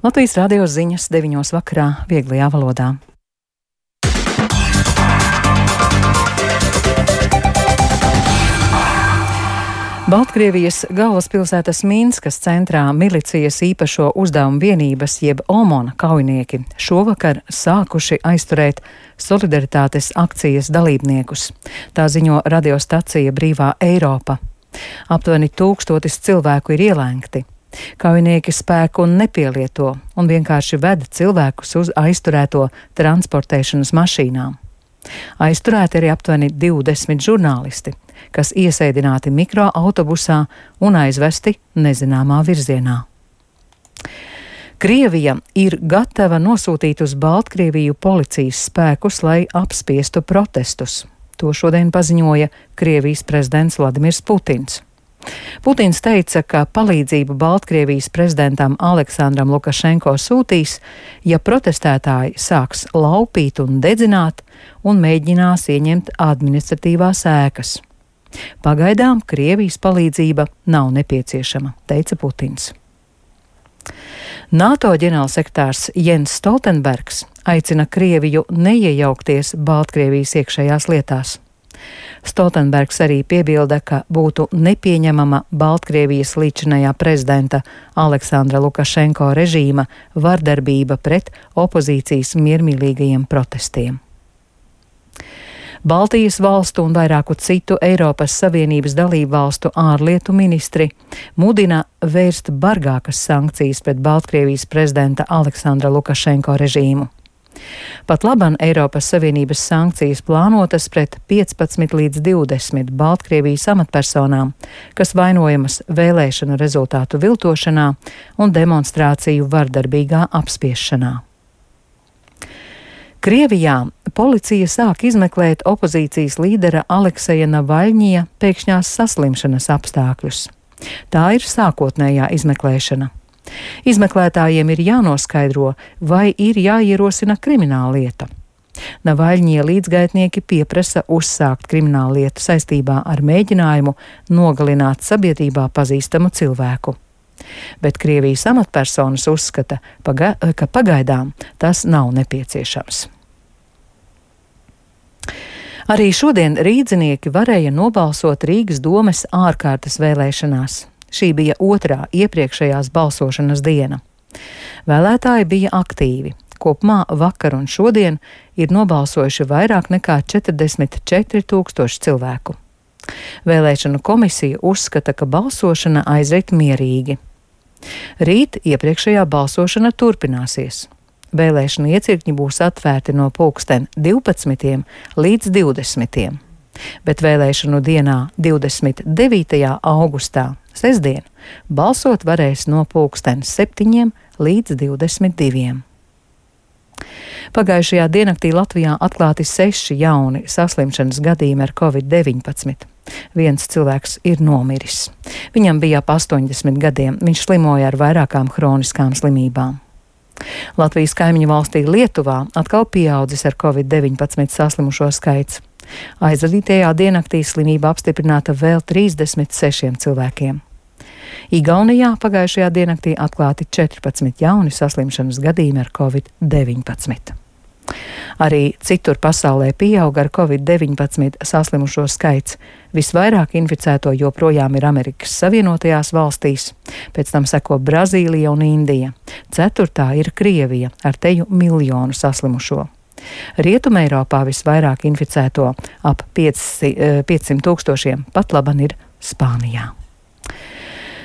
Latvijas radio ziņas 9 vakarā vieglajā valodā. Baltkrievijas galvaspilsētas Minskas centrā milicijas īpašo uzdevumu vienības jeb OMON kaujinieki šovakar sākuši aizturēt solidaritātes akcijas dalībniekus. Tā ziņo radiostacija Brīvā Eiropa. Aptuveni 1000 cilvēku ir ielēgti. Kaujinieki spēku nepielieto un vienkārši ved cilvēkus uz aizturēto transportēšanas mašīnām. Aizturēti arī aptuveni 20 žurnālisti, kas iesēdināti mikroautobusā un aizvesti nezināmā virzienā. Krievija ir gatava nosūtīt uz Baltkrieviju policijas spēkus, lai apspiestu protestus. To šodien paziņoja Krievijas prezidents Vladimirs Putins. Putins teica, ka palīdzību Baltkrievijas prezidentam Aleksandram Lukašenko sūtīs, ja protestētāji sāks laupīt un dedzināt un mēģinās ieņemt administratīvās ēkas. Pagaidām Krievijas palīdzība nav nepieciešama, teica Putins. NATO ģenerālsekretārs Jens Stoltenbergs aicina Krieviju neiejaukties Baltkrievijas iekšējās lietās. Stoltenbergs arī piebilda, ka būtu nepieņemama Baltkrievijas līdzinājā prezidenta Aleksandra Lukašenko režīma vardarbība pret opozīcijas miermīlīgajiem protestiem. Baltijas valstu un vairāku citu Eiropas Savienības dalību valstu ārlietu ministri mudina vērst bargākas sankcijas pret Baltkrievijas prezidenta Aleksandra Lukašenko režīmu. Pat laban Eiropas Savienības sankcijas plānotas pret 15 līdz 20 Baltkrievijas amatpersonām, kas vainojamas vēlēšanu rezultātu viltošanā un demonstrāciju vardarbīgā apspiešanā. Krievijā policija sāk izmeklēt opozīcijas līdera Alekseja Navaļņija pēkšņās saslimšanas apstākļus. Tā ir sākotnējā izmeklēšana. Izmeklētājiem ir jānoskaidro, vai ir jāierosina krimināla lieta. Navaļņija līdzgaitnieki pieprasa uzsākt kriminālu lietu saistībā ar mēģinājumu nogalināt sabiedrībā pazīstamu cilvēku. Bet Krievijas amatpersonas uzskata, ka pagaidām tas nav nepieciešams. Arī šodien rīdzinieki varēja nobalsot Rīgas domes ārkārtas vēlēšanās. Šī bija otrā iepriekšējās balsošanas diena. Vēlētāji bija aktīvi. Kopumā vakar un šodien ir nobalsojuši vairāk nekā 44 000 cilvēku. Vēlēšanu komisija uzskata, ka balsošana aizrit mierīgi. Rīt iepriekšējā balsošana turpināsies. Vēlēšanu iecirkņi būs atvērti no pulksten 12 līdz 20. Bet vēlēšanu dienā 29. augustā, sestdien, balsot varēs no pulksten 7 līdz 22. Pagājušajā diennaktī Latvijā atklāti 6 jauni saslimšanas gadījumi ar Covid-19. Viens cilvēks ir nomiris. Viņam bija ap 80 gadiem, viņš slimoja ar vairākām hroniskām slimībām. Latvijas kaimiņu valstī Lietuvā atkal pieaudzis ar Covid-19 saslimušo skaits. Aizvadītajā diennaktī slimība apstiprināta vēl 36 cilvēkiem. Igaunijā pagājušajā diennaktī atklāti 14 jauni saslimšanas gadījumi ar Covid-19. Arī citur pasaulē pieauga ar Covid-19 saslimušo skaits. Visvairāk inficēto joprojām ir Amerikas Savienotajās valstīs, pēc tam seko Brazīlija un Indija. 4. ir Krievija ar teju 1 miljonu saslimušo. Rietumē Eiropā visvairāk inficēto ap 500 000 pat laban ir Spānijā.